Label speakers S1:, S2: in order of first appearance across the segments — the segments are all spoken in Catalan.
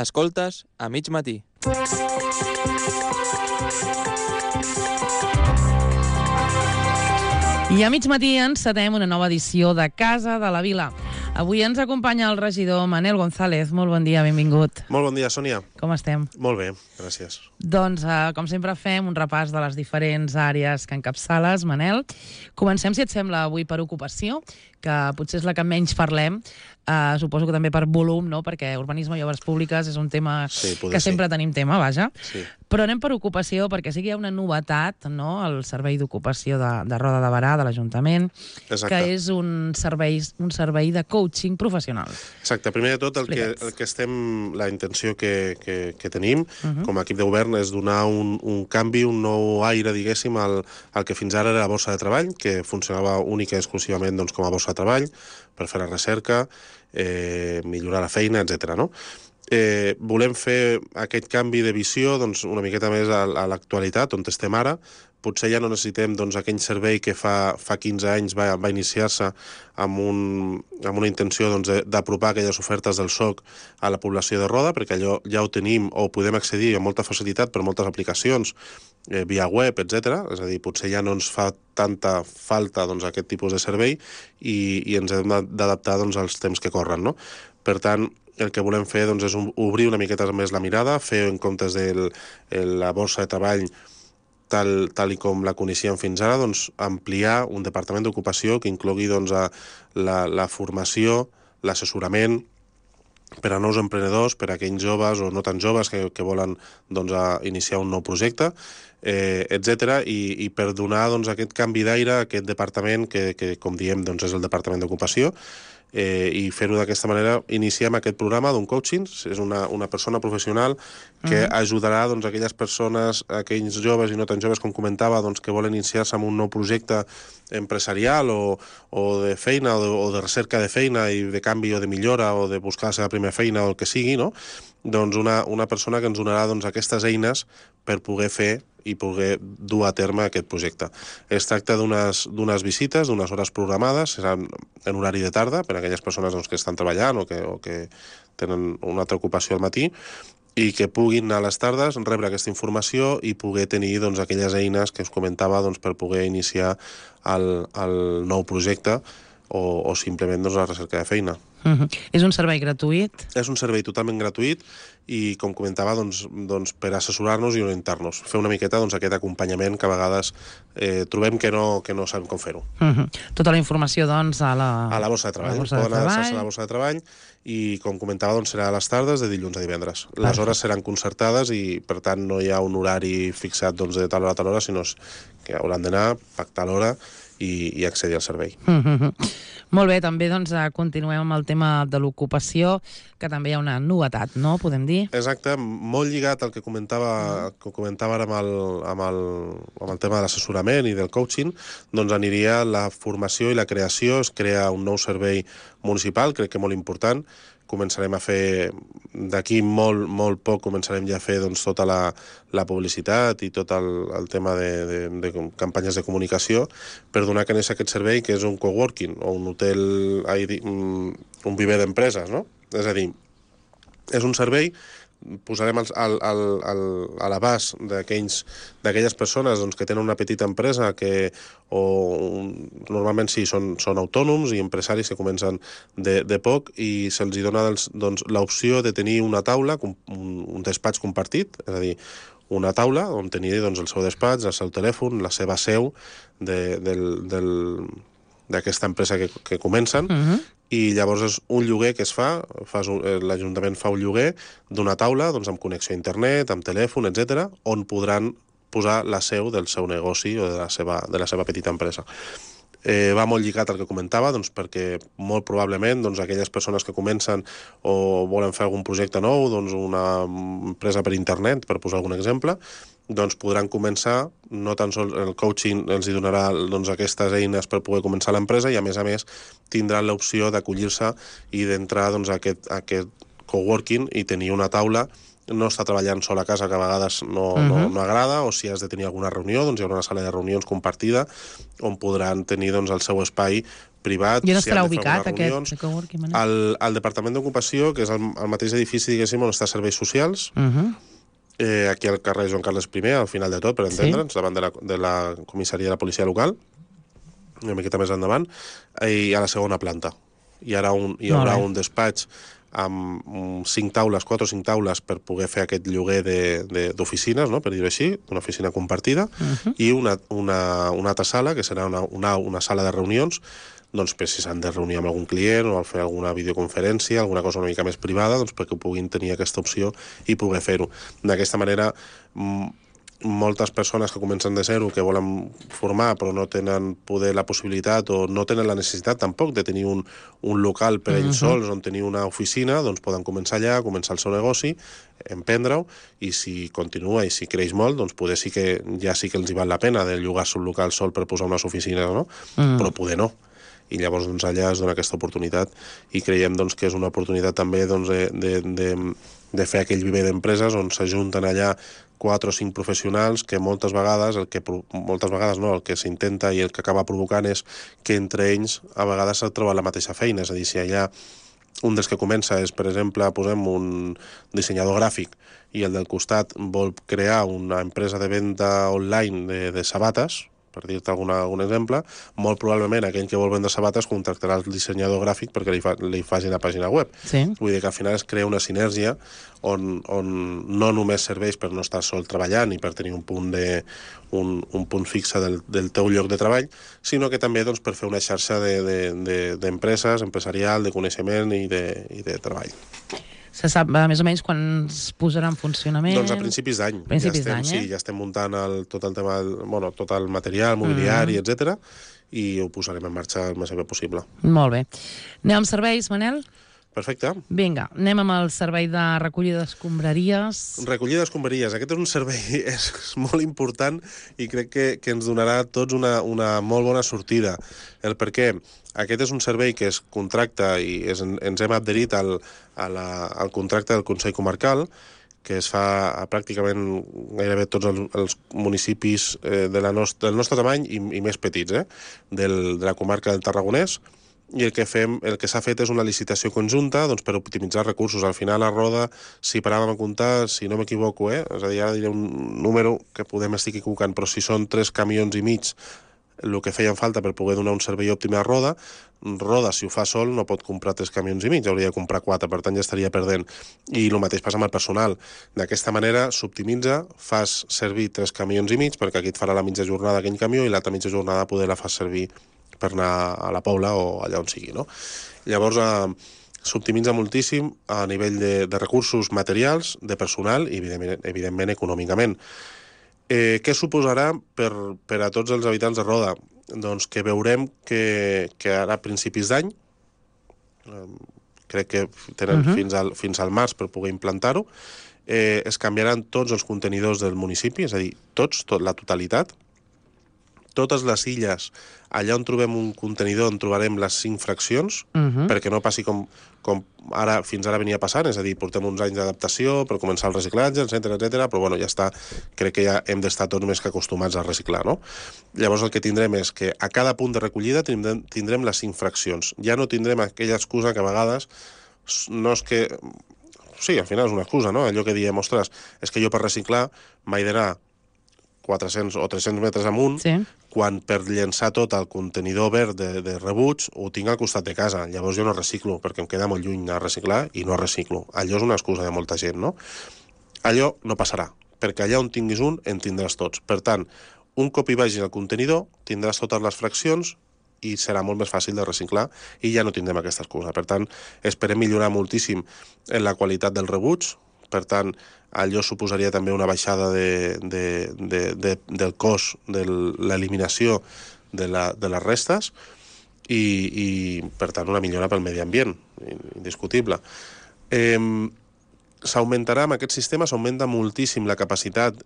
S1: Escoltes a mig matí.
S2: I a mig matí encetem una nova edició de Casa de la Vila. Avui ens acompanya el regidor Manel González. Molt bon dia, benvingut.
S3: Molt bon dia, Sònia.
S2: Com estem?
S3: Molt bé, gràcies.
S2: Doncs, com sempre, fem un repàs de les diferents àrees que encapçales, Manel. Comencem, si et sembla, avui per ocupació, que potser és la que menys parlem. Suposo que també per volum, no? Perquè urbanisme i obres públiques és un tema que sempre tenim tema, vaja.
S3: Sí.
S2: Però anem per ocupació, perquè sí que hi ha una novetat, no?, al Servei d'Ocupació de Roda de Berà, de l'Ajuntament, que és un servei de coaching professional.
S3: Exacte. Primer de tot, la intenció que tenim com a equip de govern és donar un canvi, un nou aire, diguéssim, al que fins ara era la borsa de treball, que funcionava única i exclusivament com a borsa de treball, per fer la recerca, millorar la feina, etc. no? Volem fer aquest canvi de visió una miqueta més a l'actualitat, on estem ara. Potser ja no necessitem aquell servei que fa 15 anys va iniciar-se amb una intenció d'apropar aquelles ofertes del SOC a la població de Roda, perquè allò ja ho tenim o podem accedir amb molta facilitat per moltes aplicacions, via web, etc. És a dir, potser ja no ens fa tanta falta aquest tipus de servei i ens hem d'adaptar als temps que corren, no? Per tant, el que volem fer és obrir una miqueta més la mirada, fer en comptes de la borsa de treball tal i com la coneixíem fins ara, ampliar un departament d'ocupació que inclogui la formació, l'assessorament per a nous emprenedors, per a aquells joves o no tan joves que volen iniciar un nou projecte, etc. I per donar aquest canvi d'aire a aquest departament que com diem, és el departament d'ocupació, i fer-ho d'aquesta manera. Iniciem aquest programa d'un coaching. És una persona professional que ajudarà aquelles persones, aquells joves i no tan joves, com comentava, que volen iniciar-se en un nou projecte empresarial o de feina o de recerca de feina i de canvi o de millora o de buscar la seva primera feina o el que sigui, no? Una persona que ens donarà aquestes eines per poder fer i poder dur a terme aquest projecte. Es tracta d'unes visites, d'unes hores programades, seran en horari de tarda, per a aquelles persones que estan treballant o que tenen una altra ocupació al matí, i que puguin anar a les tardes, rebre aquesta informació i poder tenir aquelles eines que us comentava per poder iniciar el nou projecte o simplement la recerca de feina.
S2: És un servei gratuït?
S3: És un servei totalment gratuït i, com comentava, per assessorar-nos i orientar-nos. Fer una miqueta aquest acompanyament que a vegades trobem que no sabem com fer-ho.
S2: Tota la informació, a
S3: la borsa de treball. Poden adreçar-se a la borsa de treball i, com comentava, serà a les tardes de dilluns a divendres. Les hores seran concertades i, per tant, no hi ha un horari fixat de tal hora a tal hora, sinó que hauran d'anar, pactar l'hora i accedir al servei.
S2: Molt bé, també continuem amb el tema de l'ocupació, que també hi ha una novetat, no? Podem dir?
S3: Exacte, molt lligat al que comentava ara amb el tema de l'assessorament i del coaching, aniria la formació i la creació. Es crea un nou servei municipal, crec que molt important. Començarem a fer, d'aquí molt poc, començarem ja a fer tota la publicitat i tot el tema de campanyes de comunicació per donar a conèixer aquest servei, que és un coworking o un hotel, un viver d'empreses, no? És a dir, és un servei, posarem a l'abast d'aquelles persones que tenen una petita empresa normalment sí, són autònoms i empresaris que comencen de poc i se'ls dona l'opció de tenir una taula, un despatx compartit, és a dir, una taula on tenir el seu despatx, el seu telèfon, la seva seu d'aquesta empresa que comencen, i llavors és un lloguer que es fa, l'Ajuntament fa un lloguer d'una taula amb connexió a internet, amb telèfon, etc., on podran posar la seu del seu negoci o de la seva petita empresa. Va molt lligat al que comentava, perquè molt probablement aquelles persones que comencen o volen fer algun projecte nou, una empresa per internet, per posar algun exemple, podran començar, no tan sols el coaching els donarà aquestes eines per poder començar l'empresa i, a més, tindran l'opció d'acollir-se i d'entrar a aquest coworking i tenir una taula, no estar treballant sol a casa, que a vegades no agrada, o si has de tenir alguna reunió, hi haurà una sala de reunions compartida on podran tenir el seu espai privat.
S2: I on estarà ubicat aquest coworking?
S3: Al Departament d'Ocupació, que és el mateix edifici, diguéssim, on està Serveis Socials, aquí al carrer Joan Carles I, al final de tot, per entendre'ns, davant de la comissaria de la policia local, una miqueta més endavant, i a la segona planta. Hi haurà un despatx amb 5 taules, 4 o 5 taules per poder fer aquest lloguer d'oficines, no? Per dir-ho així, una oficina compartida, i una altra sala, que serà una sala de reunions, doncs per si s'han de reunir amb algun client o fer alguna videoconferència, alguna cosa una mica més privada, doncs perquè puguin tenir aquesta opció i poder fer-ho. D'aquesta manera, moltes persones que comencen de zero, que volen formar però no tenen poder la possibilitat o no tenen la necessitat tampoc de tenir un local per ells sols on tenir una oficina, doncs poden començar allà, començar el seu negoci, emprendre-ho, i si continua i si creix molt, doncs poder sí que els hi val la pena de llogar-se un local sol per posar unes oficines, no? Però poder no. I llavors doncs, allà es dona aquesta oportunitat i creiem doncs, que és una oportunitat també doncs, de fer aquell viver d'empreses on s'ajunten allà 4 o 5 professionals que moltes vegades el que s'intenta i el que acaba provocant és que entre ells a vegades s'ha trobat la mateixa feina, és a dir, si allà un dels que comença és, per exemple, posem un dissenyador gràfic i el del costat vol crear una empresa de venda online de sabates, per dir-te algun exemple, molt probablement aquell que vol vendre sabates contractarà el dissenyador gràfic perquè li faci la pàgina web.
S2: Sí.
S3: Vull dir que al final es crea una sinergia on no només serveix per no estar sol treballant i per tenir un punt fixe del teu lloc de treball, sinó que també doncs, per fer una xarxa d'empreses, empresarial, de coneixement i de treball.
S2: Se sap més o menys quan es posarà en funcionament?
S3: Doncs a principis d'any. Sí, ja estem muntant tot el material, mobiliari, etc. i ho posarem en marxa el més aviat possible.
S2: Molt bé. Anem amb serveis, Manel?
S3: Perfecte.
S2: Vinga, anem amb el servei de recollida d'escombraries.
S3: Recollida d'escombraries. Aquest és un servei és molt important i crec que ens donarà a tots una molt bona sortida. El per què? Aquest és un servei que es contracta i ens hem adherit al contracte del Consell Comarcal, que es fa a pràcticament gairebé tots els municipis del nostre tamany i més petits, de la comarca del Tarragonès, i el que s'ha fet és una licitació conjunta doncs, per optimitzar recursos. Al final, a Roda, si paràvem a comptar, si no m'equivoco, és a dir, ara diré un número que podem estar equivocant, però si són 3 camions i mig el que feien falta per poder donar un servei òptim a Roda, si ho fa sol, no pot comprar 3 camions i mig, hauria de comprar 4, per tant ja estaria perdent. I el mateix passa amb el personal. D'aquesta manera s'optimitza, fas servir 3 camions i mig, perquè aquí et farà la mitja jornada aquell camió i l'altra mitja jornada poder la fas servir per anar a la Pobla o allà on sigui, no? Llavors, s'optimitza moltíssim a nivell de recursos materials, de personal i, evidentment, econòmicament. Què suposarà per a tots els habitants de Roda? Doncs que veurem que ara a principis d'any, crec que tenen fins al març per poder implantar-ho, es canviaran tots els contenidors del municipi, és a dir, la totalitat. Totes les illes, allà on trobem un contenidor on trobarem les 5 fraccions, perquè no passi com fins ara venia passant, és a dir, portem uns anys d'adaptació per començar el reciclatge, etc, però bueno, ja està, crec que ja hem d'estar tots més que acostumats a reciclar, no? Llavors el que tindrem és que a cada punt de recollida tindrem les 5 fraccions. Ja no tindrem aquella excusa que a vegades no és que... Sí, al final és una excusa, no? Allò que diem, ostres, és que jo per reciclar m'he d'anar 400 o 300 metres amunt, quan per llençar tot el contenidor verd de rebuig ho tinc al costat de casa. Llavors jo no reciclo, perquè em queda molt lluny a reciclar i no reciclo. Allò és una excusa de molta gent, no? Allò no passarà, perquè allà on tinguis un, en tindràs tots. Per tant, un cop hi vagis al contenidor, tindràs totes les fraccions i serà molt més fàcil de reciclar i ja no tindrem aquesta excusa. Per tant, esperem millorar moltíssim en la qualitat del rebuig. Per tant, allò suposaria també una baixada del cost de l'eliminació de les restes i, per tant, una millora pel medi ambient, indiscutible. S'augmentarà, amb aquest sistema, s'augmenta moltíssim la capacitat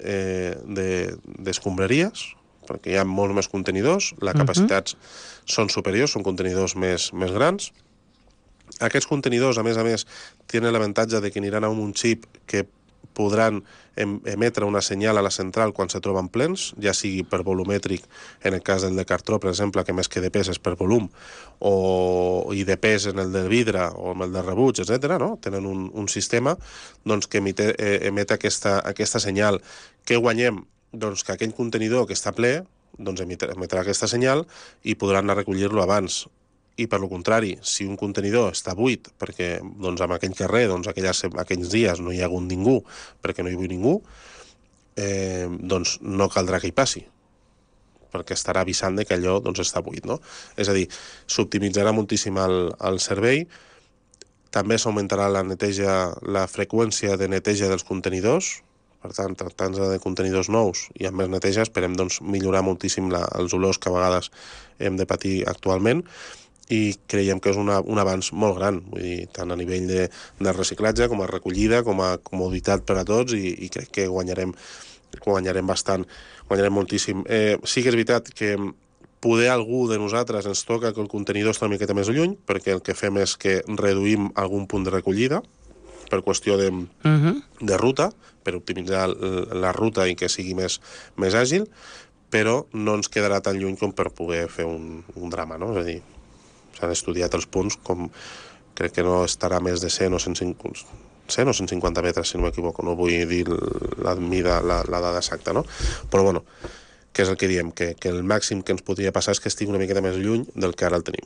S3: d'escombraries, perquè hi ha molts més contenidors, les capacitats són superiors, són contenidors més grans. Aquests contenidors, a més, tenen l'avantatge de que aniran amb un xip que podran emetre una senyal a la central quan se troben plens, ja sigui per volumètric, en el cas del de cartró, per exemple, que més que de pes és per volum, i de pes en el del vidre o en el de rebuig, etc. No? Tenen un sistema doncs, que emet aquesta senyal. Què guanyem? Doncs que aquell contenidor que està ple doncs emetrà aquesta senyal i podran anar a recollir-lo abans. I per lo contrari, si un contenidor està buit perquè doncs, en aquell carrer aquells dies no hi ha hagut ningú perquè no hi viu ningú, doncs no caldrà que hi passi, perquè estarà avisant que allò doncs, està buit. No? És a dir, s'optimitzarà moltíssim el servei, també s'augmentarà la freqüència de neteja dels contenidors. Per tant, tractant-se de contenidors nous i amb més neteja, esperem doncs, millorar moltíssim els olors que a vegades hem de patir actualment, i creiem que és un avanç molt gran, vull dir, tant a nivell de reciclatge com a recollida, com a comoditat per a tots, i crec que guanyarem bastant, guanyarem moltíssim. Sí que és veritat que poder algú de nosaltres ens toca que el contenidor està una miqueta més lluny, perquè el que fem és que reduïm algun punt de recollida, per qüestió de ruta, per optimitzar la ruta i que sigui més àgil, però no ens quedarà tan lluny com per poder fer un drama, no? És a dir, s'han estudiat els punts, com crec que no estarà més de 100 o 150 metres, si no m'equivoco, no vull dir la dada exacta, no? Però bueno, que és el que diem, que el màxim que ens podria passar és que estigui una miqueta més lluny del que ara el tenim.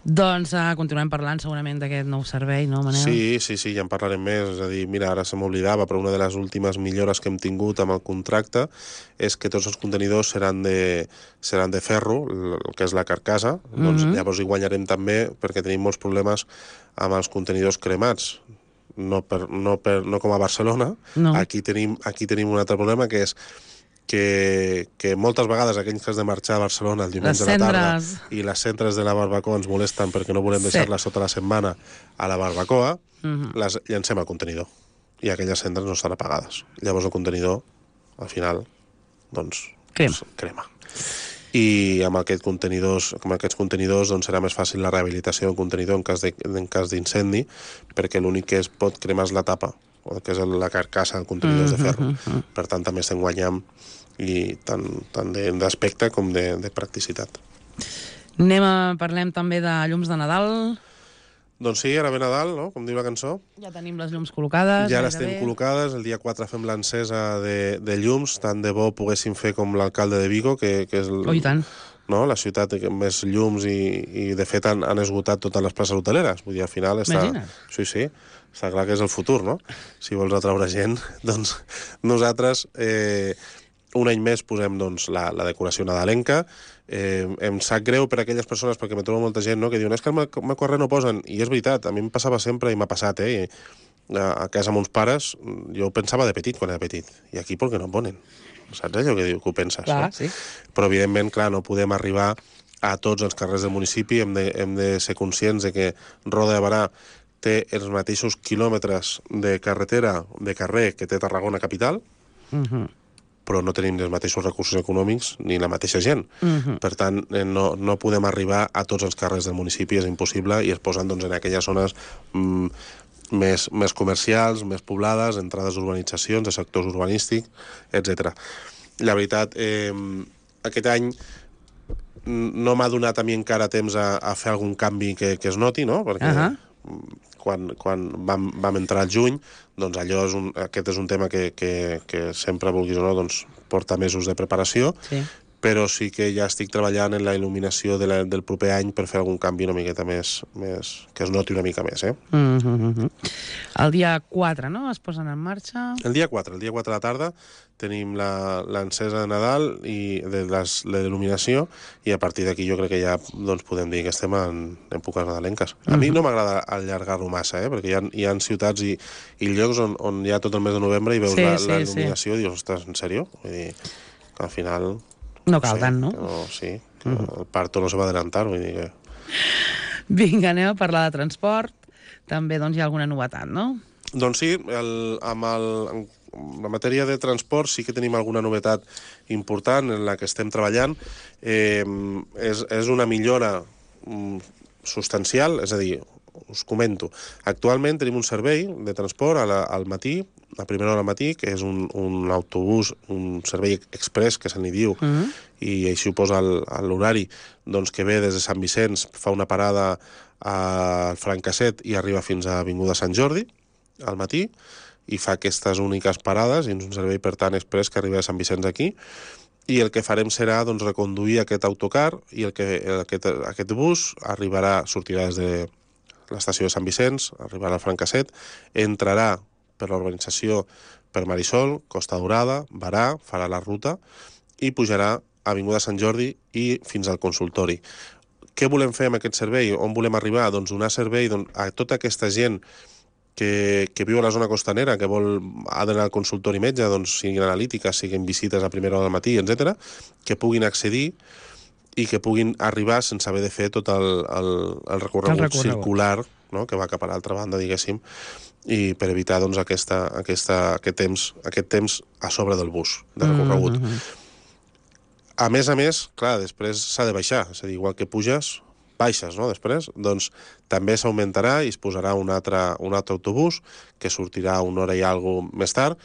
S2: Doncs continuem parlant segurament d'aquest nou servei, no, Manel?
S3: Sí, ja en parlarem més. És a dir, mira, ara se m'oblidava, però una de les últimes millores que hem tingut amb el contracte és que tots els contenidors seran de ferro, el que és la carcassa. Doncs llavors hi guanyarem també, perquè tenim molts problemes amb els contenidors cremats. No com a Barcelona.
S2: No.
S3: Aquí tenim un altre problema, que és que moltes vegades aquells que has de marxar a Barcelona el diumenge de la tarda i les cendres de la barbacoa ens molesten perquè no volem deixar-les sota la setmana a la barbacoa, les llancem al contenidor i aquelles cendres no estan apagades. Llavors el contenidor, al final, doncs, crema. I amb aquests contenidors doncs serà més fàcil la rehabilitació del contenidor en cas d'incendi, perquè l'únic que es pot cremar és la tapa, que és la carcassa del contenidor de ferro. Per tant, també estem guanyant i tant d'aspecte com de practicitat.
S2: Parlem també de llums de Nadal.
S3: Doncs sí, ara ve Nadal, no? Com diu la cançó.
S2: Ja tenim les llums col·locades.
S3: Ja les tenim col·locades. El dia 4 fem l'encesa de llums. Tant de bo poguéssim fer com l'alcalde de Vigo, que és la ciutat amb més llums i de fet han esgotat totes les places hoteleres. Vull dir, al final Sí, està clar que és el futur, no? Si vols atraure gent, doncs nosaltres un any més posem doncs, la decoració nadalenca. Em sap greu per a aquelles persones, perquè me trobo molta gent, no?, que diuen, és que al meu carrer no posen, i és veritat, a mi em passava sempre i m'ha passat, a casa amb uns pares, jo ho pensava de petit quan era petit, i aquí per què no ponen? Saps allò que ho penses?
S2: Clar,
S3: no?
S2: sí.
S3: Però evidentment, clar, no podem arribar a tots els carrers del municipi, hem de ser conscients de que Roda de Barà té els mateixos quilòmetres de carretera, de carrer, que té Tarragona capital, però no tenim els mateixos recursos econòmics ni la mateixa gent. Per tant, no podem arribar a tots els carrers del municipi, és impossible, i es posen doncs, en aquelles zones més comercials, més poblades, entrades d'urbanitzacions, de sectors urbanístics, etc. La veritat, aquest any no m'ha donat a mi encara temps a fer algun canvi que es noti, no? Perquè quan vam entrar al juny, doncs aquest és un tema que sempre, vulguis o no, doncs porta mesos de preparació, però sí que ja estic treballant en la il·luminació del proper any per fer algun canvi una miqueta més que es noti una mica més.
S2: El dia 4, no?, es posen en marxa?
S3: El dia 4 a la tarda tenim l'encesa de Nadal i de l'il·luminació, i a partir d'aquí jo crec que ja doncs, podem dir que estem en èpoques nadalenques. A mi no m'agrada allargar-ho massa, perquè hi ha ciutats i llocs on hi ha tot el mes de novembre i veus la il·luminació i dius, ostres, en sèrio? Vull dir, que al final...
S2: No cal tant, no?
S3: Sí, que el parto no se va adelantar, vull dir que...
S2: Vinga, anem a parlar de transport. També doncs, hi ha alguna novetat, no?
S3: Doncs sí, en la matèria de transport sí que tenim alguna novetat important en la que estem treballant. És una millora substancial, és a dir, us comento. Actualment tenim un servei de transport al matí, a primera hora del matí, que és un autobús, un servei express, que se n'hi diu, i així ho posa l'horari, doncs que ve des de Sant Vicenç, fa una parada al Francasset i arriba fins a Avinguda Sant Jordi, al matí, i fa aquestes úniques parades, i és un servei, per tant, express que arriba a Sant Vicenç aquí, i el que farem serà doncs, reconduir aquest autocar i aquest bus sortirà des de l'estació de Sant Vicenç, arribarà al Francasset, entrarà per l'urbanització per Marisol, Costa Daurada, Barà, farà la ruta i pujarà a Avinguda Sant Jordi i fins al consultori. Què volem fer amb aquest servei? On volem arribar? Doncs donar servei a tota aquesta gent que viu a la zona costanera, que ha d'anar al consultori metge, doncs, siguin analítiques, siguin visites a primera hora del matí, etc., que puguin accedir i que puguin arribar sense haver de fer tot el recorregut circular, no?, que va cap a l'altra banda, diguéssim, i per evitar doncs, aquest temps a sobre del bus de recorregut. A més, clar, després s'ha de baixar, és a dir, igual que puges, baixes, no?, després, doncs també s'augmentarà i es posarà un altre autobús que sortirà una hora i alguna més tard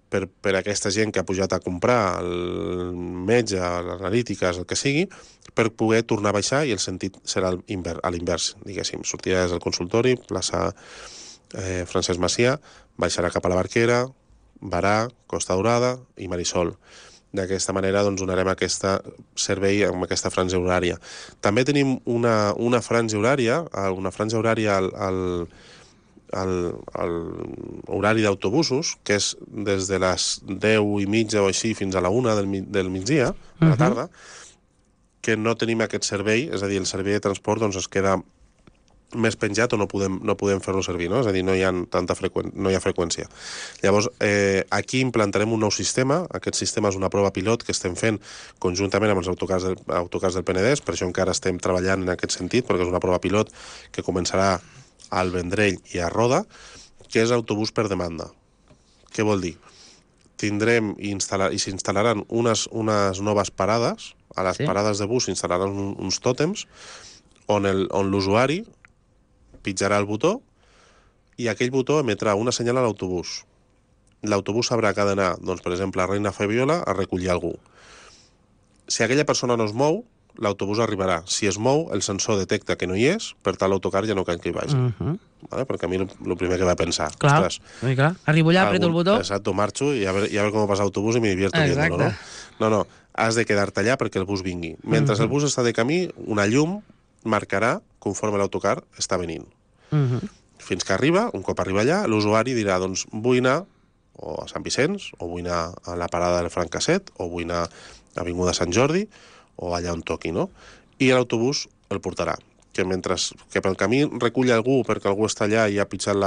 S3: per aquesta gent que ha pujat a comprar el metge, l'analítiques, el que sigui, per poder tornar a baixar, i el sentit serà a l'invers, diguéssim. Sortirà des del consultori, plaça Francesc Macià, baixarà cap a la Barquera, Barà, Costa Daurada i Marisol. D'aquesta manera doncs, donarem aquest servei amb aquesta franja horària. També tenim una franja horària, al horari d'autobusos, que és des de les 10:30 o així fins a la 1 del migdia, a la tarda, que no tenim aquest servei, és a dir, el servei de transport doncs, es queda més penjat o no podem fer-lo servir, no? És a dir, no hi ha freqüència. Llavors, aquí implantarem un nou sistema. Aquest sistema és una prova pilot que estem fent conjuntament amb els autocars del Penedès, per això encara estem treballant en aquest sentit, perquè és una prova pilot que començarà al Vendrell i a Roda, que és autobús per demanda. Què vol dir? Tindrem i s'instal·laran unes noves parades. A les parades de bus s'instal·laran uns tòtems on l'usuari pitjarà el botó i aquell botó emetrà una senyal a l'autobús. L'autobús sabrà que ha d'anar, doncs, per exemple, a Reina Fabiola a recollir algú. Si aquella persona no es mou, l'autobús arribarà. Si es mou, el sensor detecta que no hi és, per tant l'autocar ja no cal que hi vagi. Vale? Perquè a mi el primer que va pensar...
S2: Clar, arribo allà, apreto el botó...
S3: Exacto, marxo i a veure com passa l'autobús i me divierto viéndolo, no? No, has de quedar-te allà perquè el bus vingui. Mentre el bus està de camí, una llum marcarà conforme l'autocar està venint. Fins que arriba, un cop arriba allà, l'usuari dirà, doncs, vull anar o a Sant Vicenç, o vull anar a la parada del Francasset, o vull anar a Avinguda Sant Jordi, o allà on toqui, no? I l'autobús el portarà. Que pel camí recull algú perquè algú està allà i ha pitjat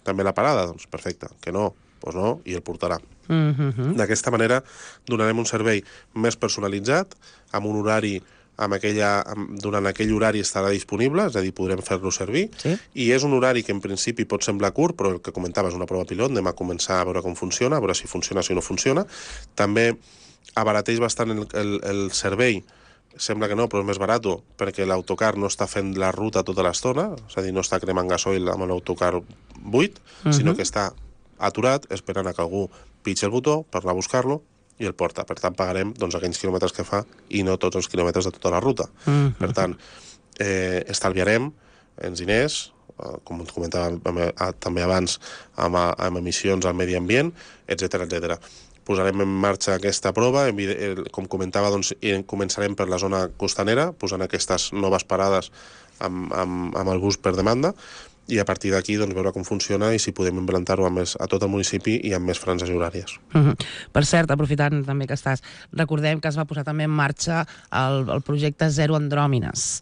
S3: també la parada, doncs perfecte. Que no, doncs no, i el portarà. D'aquesta manera donarem un servei més personalitzat, amb un horari durant aquell horari estarà disponible, és a dir, podrem fer-lo servir, i és un horari que en principi pot semblar curt, però el que comentava és una prova pilot, anem a començar a veure com funciona, a veure si funciona, si no funciona. També abarateix bastant el servei, sembla que no, però és més barat, perquè l'autocar no està fent la ruta tota l'estona, és a dir, no està cremant gasoil amb l'autocar buit, sinó que està aturat, esperant a que algú pitgi el botó per anar a buscar-lo, i el porta. Per tant, pagarem aquells quilòmetres que fa i no tots els quilòmetres de tota la ruta. Per tant, estalviarem en diners, com comentava també abans, amb emissions al medi ambient, etc. Posarem en marxa aquesta prova, com comentava, doncs, començarem per la zona costanera, posant aquestes noves parades amb el bus per demanda, i a partir d'aquí doncs, veure com funciona i si podem implantar-ho a tot el municipi i amb més franges horàries.
S2: Per cert, aprofitant també que estàs, recordem que es va posar també en marxa el projecte Zero Andròmines.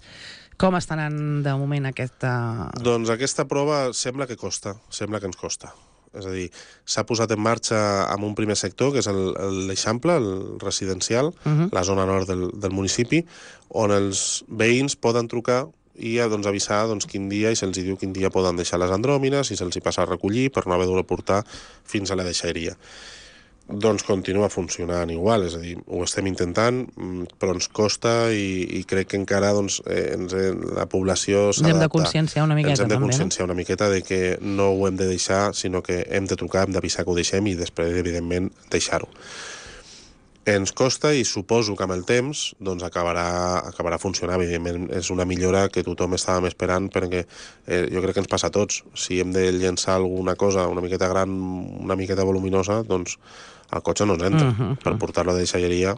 S2: Com està anant de moment aquesta...
S3: Doncs aquesta prova sembla que ens costa. És a dir, s'ha posat en marxa amb un primer sector, que és l'Eixample, el residencial, la zona nord del municipi, on els veïns poden trucar i avisar quin dia, i se'ls diu quin dia poden deixar les andròmines, i se'ls hi passa a recollir per no haver de portar fins a la deixalleria. doncs continua funcionant igual, és a dir, ho estem intentant, però ens costa i crec que encara la població s'ha d'adaptar.
S2: Ens hem de conscienciar una miqueta,
S3: Ens hem de
S2: també,
S3: conscienciar una miqueta de que no ho hem de deixar, sinó que hem de trucar, hem d'avisar que ho deixem i després, evidentment, deixar-ho. Ens costa i suposo que amb el temps doncs acabarà funcionant. Evidentment és una millora que tothom estàvem esperant perquè jo crec que ens passa a tots. Si hem de llençar alguna cosa una miqueta gran, una miqueta voluminosa, doncs el cotxe no ens entra. Per portar-lo de deixalleria,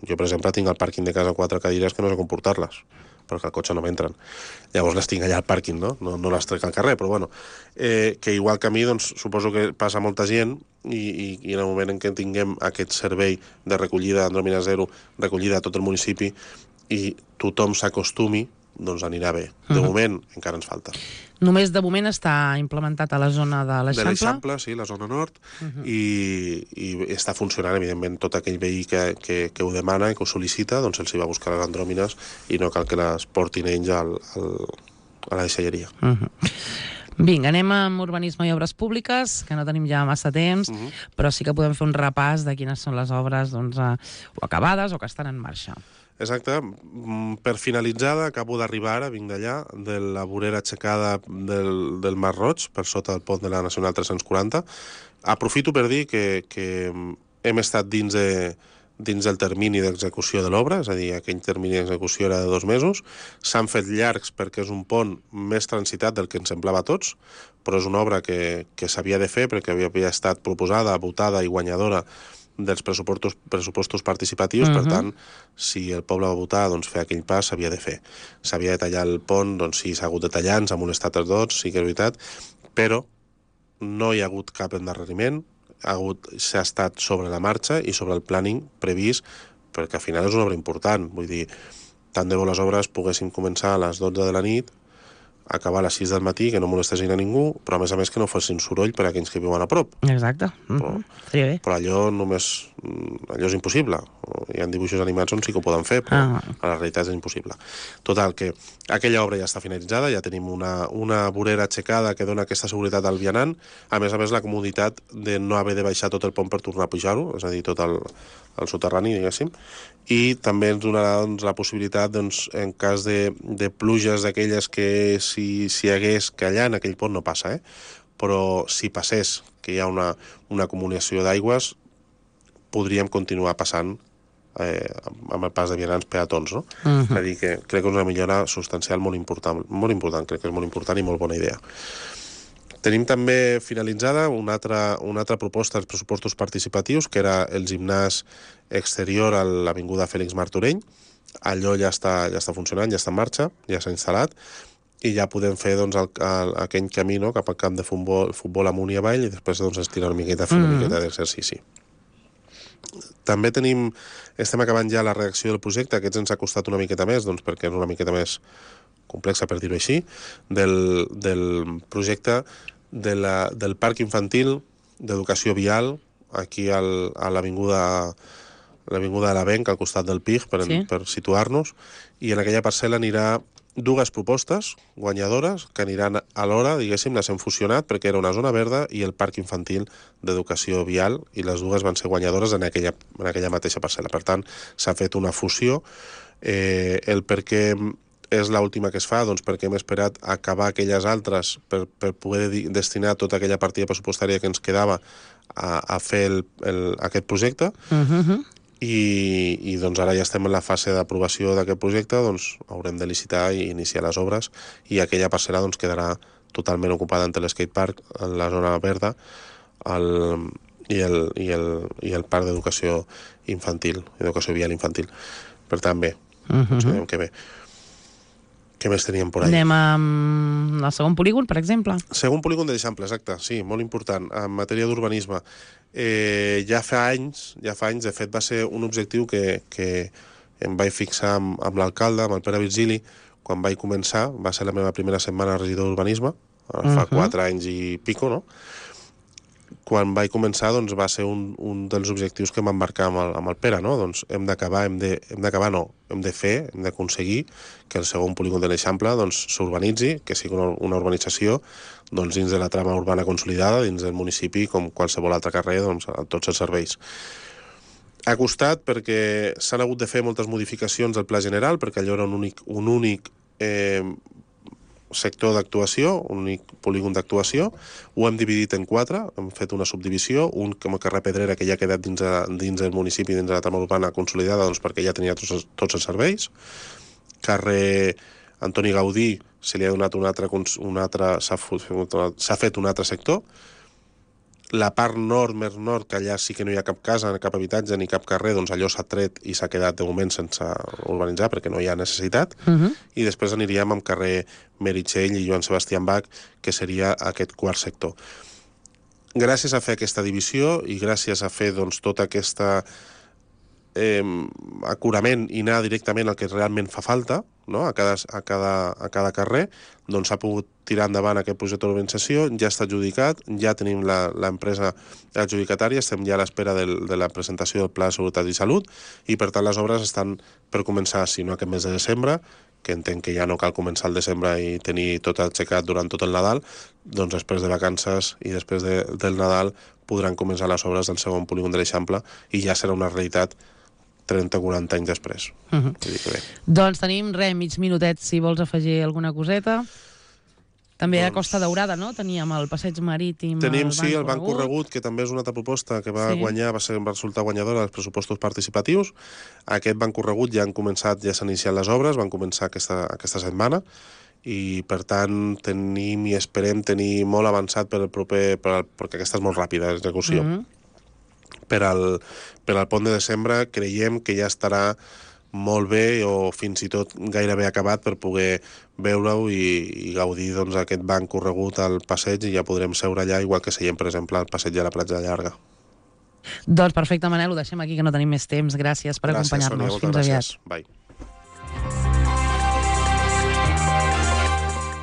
S3: jo per exemple tinc al pàrquing de casa 4 cadires que no sé com portar-les perquè al cotxe no m'entren. Llavors les tinc allà al pàrquing, no les trec al carrer, però bueno, que igual que a mi, doncs, suposo que passa molta gent i en el moment en què tinguem aquest servei de recollida Andròmina Zero, recollida a tot el municipi, i tothom s'acostumi, doncs anirà bé. De moment encara ens falta.
S2: Només de moment està implementat a la zona de
S3: De
S2: l'Eixample.
S3: l'Eixample, sí, la zona nord, i està funcionant, evidentment, tot aquell veí que ho demana i que ho sol·licita, doncs els hi va buscar les andròmines i no cal que les portin ells a la deixalleria.
S2: Vinga, anem amb urbanisme i obres públiques, que no tenim ja massa temps, però sí que podem fer un repàs de quines són les obres doncs, o acabades o que estan en marxa.
S3: Exacte. Per finalitzada, acabo d'arribar ara, vinc d'allà, de la vorera aixecada del Mar Roig, per sota del pont de la Nacional 340. Aprofito per dir que hem estat dins del termini d'execució de l'obra, és a dir, aquell termini d'execució era de 2 mesos. S'han fet llargs perquè és un pont més transitat del que ens semblava a tots, però és una obra que s'havia de fer perquè havia estat proposada, votada i guanyadora dels pressupostos participatius. Per tant, si el poble va votar, doncs fer aquell pas s'havia de fer. S'havia de tallar el pont, doncs sí, s'ha hagut de tallar, ens ha molestat els dos, sí que és veritat, però no hi ha hagut cap endarreriment, s'ha estat sobre la marxa i sobre el planning previst, perquè al final és una obra important. Vull dir, tant de bo les obres poguessin començar a les 12 de la nit, acabar a les 6 del matí, que no molestessin a ningú, però a més que no fessin soroll per a aquells que viuen a prop.
S2: Exacte. Estaria bé.
S3: Però allò és impossible. Hi ha dibuixos animats on sí que ho poden fer, però a la realitat és impossible. Total, que aquella obra ja està finalitzada, ja tenim una vorera aixecada que dona aquesta seguretat al vianant, a més, la comoditat de no haver de baixar tot el pont per tornar a pujar-ho, és a dir, tot el soterrani, diguéssim, i també ens donarà la possibilitat, en cas de pluges d'aquelles que si hi hagués, que allà en aquell pont no passa, però si passés, que hi ha una acumulació d'aigües, podríem continuar passant amb el pas de vianants peatons, no? És a dir, que crec que és una millora substancial molt important, crec que és molt important i molt bona idea. Tenim també finalitzada una altra proposta als pressupostos participatius, que era el gimnàs exterior a l'avinguda Fèlix Martorell. Allò ja està funcionant, ja està en marxa, ja s'ha instal·lat, i ja podem fer aquell camí cap al camp de futbol amunt i avall, i després estirar una miqueta, fer una miqueta d'exercici. També estem acabant ja la redacció del projecte, que ens ha costat una miqueta més, perquè és una miqueta més complexa, per dir-ho així, del projecte del parc infantil d'educació vial, aquí a l'avinguda de l'Avenc, al costat del PIG, per situar-nos, i en aquella parcel·la anirà 2 propostes guanyadores que aniran alhora, diguéssim, les hem fusionat perquè era una zona verda i el parc infantil d'educació vial, i les 2 van ser guanyadores en aquella mateixa parcel·la. Per tant, s'ha fet una fusió. El per què és l'última que es fa, perquè hem esperat acabar aquelles altres per poder destinar tota aquella partida pressupostària que ens quedava a fer aquest projecte. I ara ja estem en la fase d'aprovació d'aquest projecte, haurem de licitar i iniciar les obres, i aquella parcel·la quedarà totalment ocupada entre l'skatepark, la zona verda, i el parc d'educació infantil, educació vial infantil. Per tant, bé, sabem que bé. Què més teníem por ahí?
S2: Anem al segon polígon, per exemple.
S3: Segon polígon de l'Eixample, exacte, sí, molt important, en matèria d'urbanisme. Ja fa anys, de fet va ser un objectiu que em vaig fixar amb l'alcalde, amb el Pere Virgili, quan vaig començar, va ser la meva primera setmana regidor d'urbanisme, fa 4 anys i pico, no? quan vaig començar va ser un dels objectius que m'embarcar amb el Pere, no? Doncs hem de fer, hem d'aconseguir que el segon polígon de l'Eixample s'urbanitzi, que sigui una urbanització dins de la trama urbana consolidada, dins del municipi, com qualsevol altre carrer, amb tots els serveis. Ha costat perquè s'han hagut de fer moltes modificacions del pla general, perquè allò era un únic sector d'actuació, un únic polígon d'actuació. Ho hem dividit en 4, hem fet una subdivisió, un com a carrer Pedrera, que ja ha quedat dins del municipi, dins de la trama urbana consolidada, perquè ja tenia tots els serveis. Carrer Antoni Gaudí se li ha donat s'ha fet un altre sector. La part nord, més nord, que allà sí que no hi ha cap casa, cap habitatge ni cap carrer, allò s'ha tret i s'ha quedat de moment sense urbanitzar perquè no hi ha necessitat. I després aniríem amb carrer Meritxell i Joan Sebastián Bach, que seria aquest quart sector. Gràcies a fer aquesta divisió i gràcies a fer tot aquest acurament i anar directament al que realment fa falta, no? a cada carrer, s'ha pogut tirar endavant aquest projecte d'urbanització, ja està adjudicat, ja tenim l'empresa adjudicatària, estem ja a l'espera de la presentació del Pla de Seguretat i Salut, i per tant les obres estan per començar, si no aquest mes de desembre, que entenc que ja no cal començar al desembre i tenir tot aixecat durant tot el Nadal, després de vacances i després del Nadal podran començar les obres del segon polígon de l'Eixample i ja serà una realitat 30 o 40 anys després.
S2: Doncs tenim, mig minutet, si vols afegir alguna coseta. També a Costa Daurada, no? Teníem el passeig marítim,
S3: tenim, sí, el banc corregut, que també és una altra proposta que va guanyar, va resultar guanyadora dels pressupostos participatius. Aquest banc corregut ja s'han iniciat les obres, van començar aquesta setmana, i per tant tenim i esperem tenir molt avançat per el proper, perquè aquesta és molt ràpida, l'execució. Per al pont de desembre creiem que ja estarà molt bé o fins i tot gairebé acabat per poder veure-ho i gaudir d'aquest banc corregut al passeig, i ja podrem seure allà igual que seiem, per exemple, al passeig de la Platja Llarga.
S2: Doncs perfecte, Manel, ho deixem aquí que no tenim més temps. Gràcies per acompanyar-nos. Fins aviat.
S3: Bye.